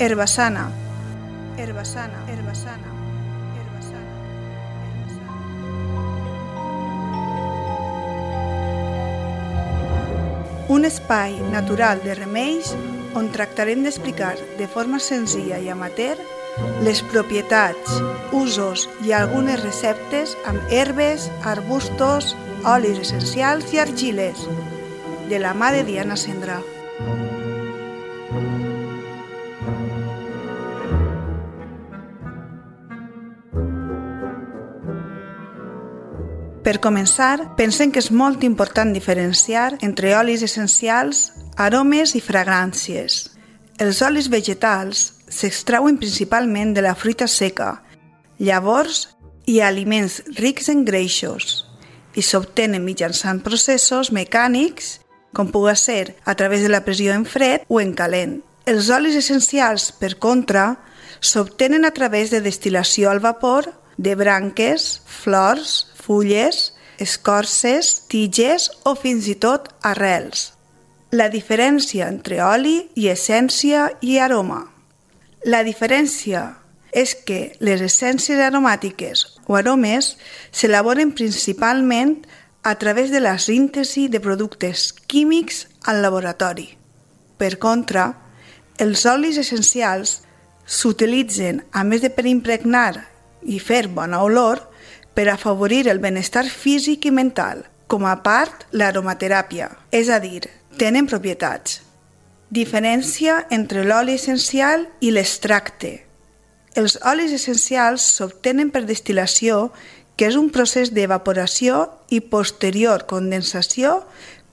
Herbassana, herbassana, herbassana, herbassana, herbassana. Un espai natural de remeis on tractarem d'explicar de forma senzilla i amateur les propietats, usos i algunes receptes amb herbes, arbustos, olis essencials i argiles, de la mà de Diana Cendrà. Per començar, pensem que és molt important diferenciar entre olis essencials, aromes i fragràncies. Els olis vegetals s'extrauen principalment de la fruita seca, llavors i aliments rics en greixos i s'obtenen mitjançant processos mecànics, com pugui ser a través de la pressió en fred o en calent. Els olis essencials, per contra, s'obtenen a través de destil·lació al vapor de branques, flors, fulles, escorces, tiges o fins i tot arrels. La diferència entre oli i essència i aroma. La diferència és que les essències aromàtiques o aromes s'elaboren principalment a través de la síntesi de productes químics al laboratori. Per contra, els olis essencials s'utilitzen, a més de per impregnar i fer bona olor, per afavorir el benestar físic i mental, com a part l'aromateràpia, és a dir, tenen propietats. Diferència entre l'oli essencial i l'extracte. Els olis essencials s'obtenen per destil·lació, que és un procés d'evaporació i posterior condensació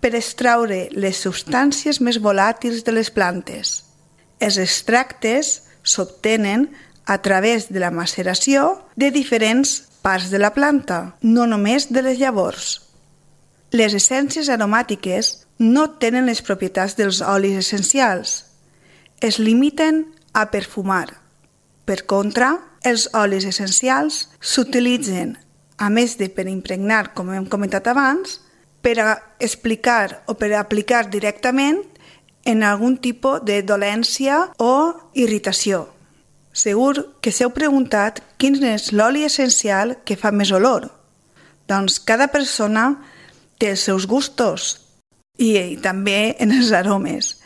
per extraure les substàncies més volàtils de les plantes. Els extractes s'obtenen a través de la maceració de diferents parts de la planta, no només de les llavors. Les essències aromàtiques no tenen les propietats dels olis essencials. Es limiten a perfumar. Per contra, els olis essencials s'utilitzen, a més de per impregnar, com hem comentat abans, per a explicar o per a aplicar directament en algun tipus de dolència o irritació. Segur que s'heu preguntat quin és l'oli essencial que fa més olor. Doncs cada persona té els seus gustos i també en els aromes.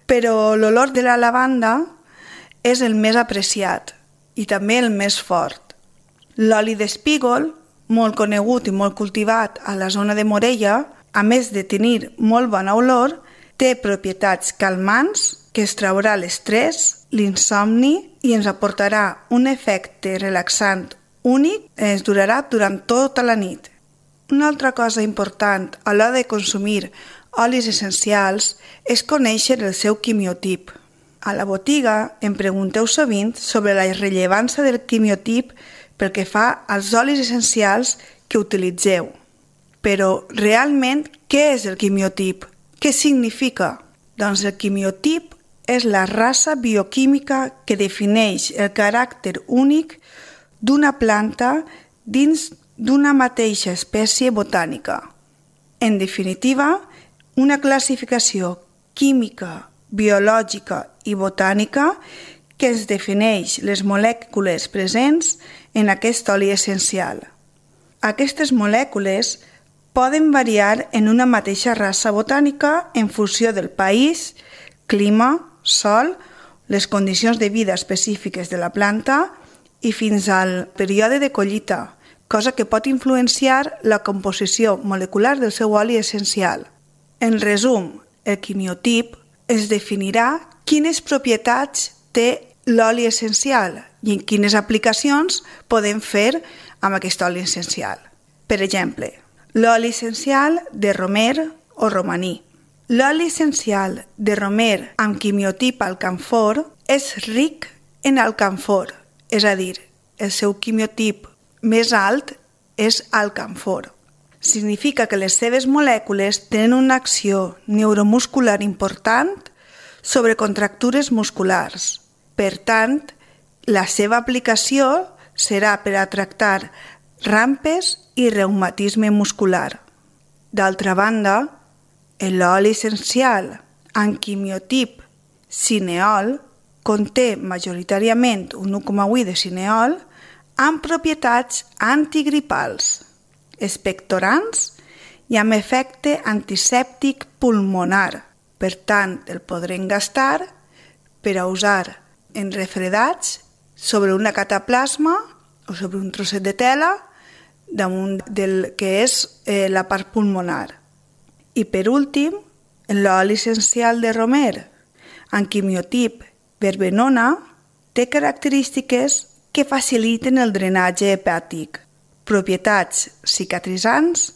Però l'olor de la lavanda és el més apreciat i també el més fort. L'oli d'espígol, molt conegut i molt cultivat a la zona de Morella, a més de tenir molt bona olor, té propietats calmants que es traurà l'estrès, l'insomni i ens aportarà un efecte relaxant únic i ens durarà durant tota la nit. Una altra cosa important a l'hora de consumir olis essencials és conèixer el seu quimiotip. A la botiga em pregunteu sovint sobre la rellevància del quimiotip pel que fa als olis essencials que utilitzeu. Però realment, què és el quimiotip? Què significa? Doncs el quimiotip és la raça bioquímica que defineix el caràcter únic d'una planta dins d'una mateixa espècie botànica. En definitiva, una classificació química, biològica i botànica que ens defineix les molècules presents en aquest oli essencial. Aquestes molècules poden variar en una mateixa raça botànica en funció del país, clima, sol, les condicions de vida específiques de la planta i fins al període de collita, cosa que pot influenciar la composició molecular del seu oli essencial. En resum, el quimiotip es definirà quines propietats té l'oli essencial i en quines aplicacions podem fer amb aquest oli essencial. Per exemple, l'oli essencial de romer o romaní. L'oli essencial de romer amb quimiotip alcanfor és ric en alcanfor, és a dir, el seu quimiotip més alt és alcanfor. Significa que les seves molècules tenen una acció neuromuscular important sobre contractures musculars. Per tant, la seva aplicació serà per a tractar rampes i reumatisme muscular. D'altra banda, l'oli essencial amb quimiotip cineol conté majoritàriament un 1,8 de cineol amb propietats antigripals, expectorants i amb efecte antisèptic pulmonar. Per tant, el podrem gastar per a usar en refredats sobre una cataplasma o sobre un trosset de tela damunt del que és la part pulmonar. I per últim, l'oli essencial de romer, amb quimiotip verbenona, té característiques que faciliten el drenatge hepàtic, propietats cicatritzants,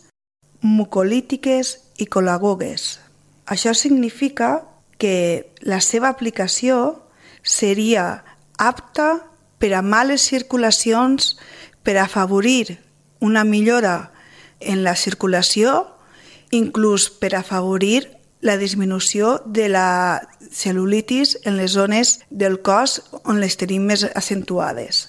mucolítiques i col·lagogues. Això significa que la seva aplicació seria apta per a males circulacions, per a afavorir una millora en la circulació, inclús per a afavorir la disminució de la cel·lulitis en les zones del cos on les tenim més accentuades.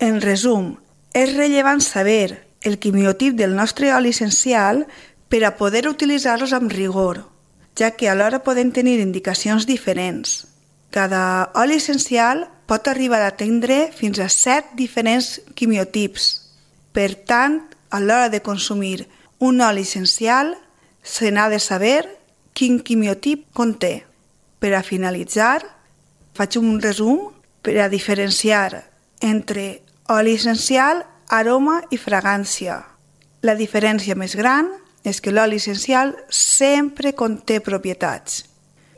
En resum, és rellevant saber el quimiotip del nostre oli essencial per a poder utilitzar-los amb rigor, ja que alhora poden tenir indicacions diferents. Cada oli essencial pot arribar a tindre fins a 7 diferents quimiotips. Per tant, a l'hora de consumir un oli essencial, se n'ha de saber quin quimiotip conté. Per a finalitzar, faig un resum per a diferenciar entre oli essencial, aroma i fragància. La diferència més gran és que l'oli essencial sempre conté propietats.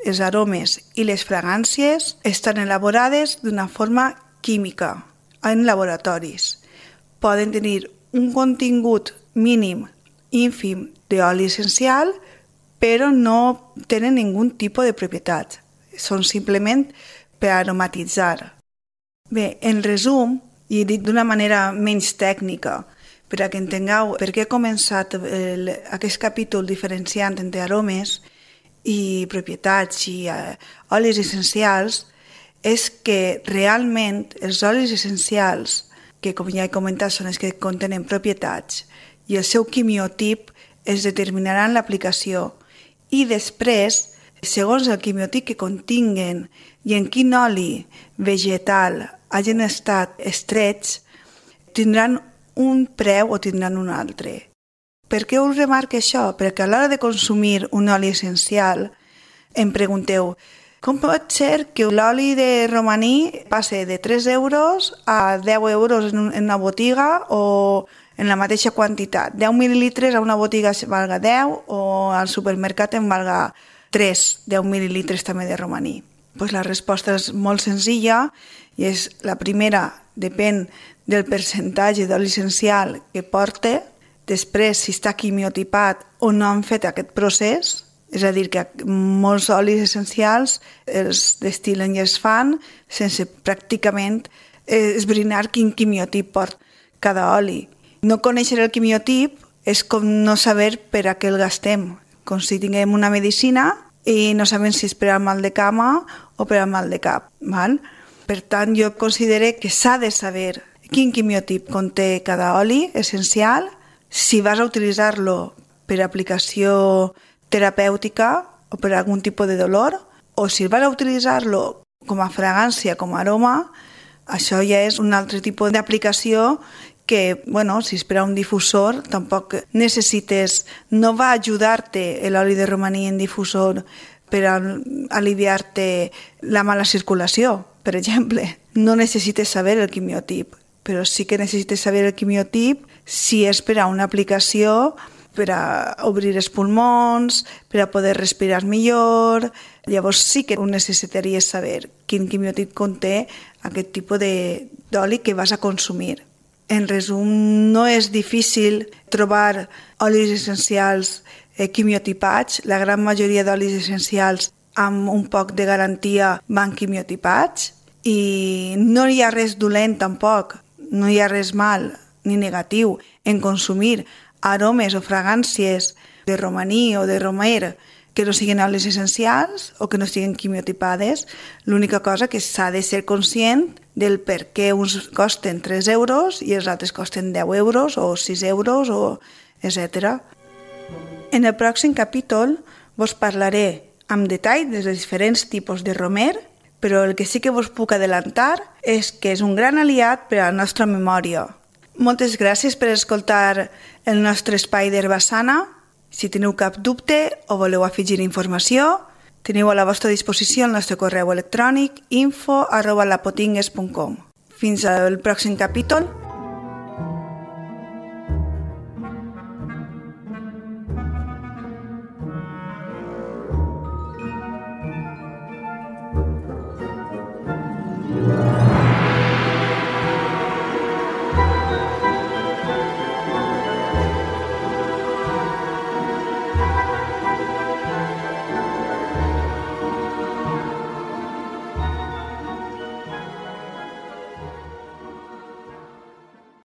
Els aromes i les fragàncies estan elaborades d'una forma química en laboratoris. Poden tenir un contingut mínim, ínfim d'oli essencial, però no tenen ningun tipus de propietat. Són simplement per aromatitzar. Bé, en resum, i dit d'una manera menys tècnica, per a que entengueu per què he començat aquest capítol diferenciant entre aromes i propietats i olis essencials, és que realment els olis essencials, que com ja he comentat són els que contenen propietats, i el seu quimiotip es determinaran l'aplicació. I després, segons el quimiotip que continguen i en quin oli vegetal hagin estat estrets, tindran un preu o tindran un altre. Per què us remarco això? Perquè a l'hora de consumir un oli essencial em pregunteu com pot ser que l'oli de romaní passe de 3 euros a 10 euros en una botiga o en la mateixa quantitat? 10 mil·lilitres a una botiga valga 10 o al supermercat en valga 3, 10 mil·lilitres també de romaní. Pues la resposta és molt senzilla i és la primera, depèn del percentatge d'oli essencial que porta, després si està quimiotipat o no han fet aquest procés, és a dir, que molts olis essencials els destil·len i es fan sense pràcticament esbrinar quin quimiotip porta cada oli. No conèixer el quimiotip és com no saber per a què el gastem, com si tinguem una medicina i no sabem si és per al mal de cama o per al mal de cap. Val? Per tant, jo considero que s'ha de saber quin quimiotip conté cada oli essencial, si vas a utilitzar-lo per aplicació terapèutica o per algun tipus de dolor, o si vas a utilitzar-lo com a fragància, com a aroma, això ja és un altre tipus d'aplicació que, bueno, si és per a un difusor, tampoc necessites, no va ajudar-te l'oli de romaní en difusor per a aliviar-te la mala circulació, per exemple. No necessites saber el quimiotip, però sí que necessites saber el quimiotip si és per a una aplicació per a obrir els pulmons, per a poder respirar millor. Llavors sí que ho necessitaries saber quin quimiotip conté aquest tipus d'oli que vas a consumir. En resum, no és difícil trobar olis essencials quimiotipats. La gran majoria d'olis essencials amb un poc de garantia van quimiotipats i no hi ha res dolent tampoc, no hi ha res mal ni negatiu en consumir aromes o fragàncies de romaní o de romer que no siguin olis essencials o que no siguin quimiotipades. L'única cosa que s'ha de ser conscient del per què uns costen 3 euros i els altres costen 10 euros o 6 euros, o etc. En el pròxim capítol vos parlaré amb detall dels diferents tipus de romer però el que sí que vos puc adelantar és que és un gran aliat per a la nostra memòria. Moltes gràcies per escoltar el nostre espai d'Herbassana. Si teniu cap dubte o voleu afegir informació, teniu a la vostra disposició el nostre correu electrònic info@lapotingues.com. Fins al pròxim capítol.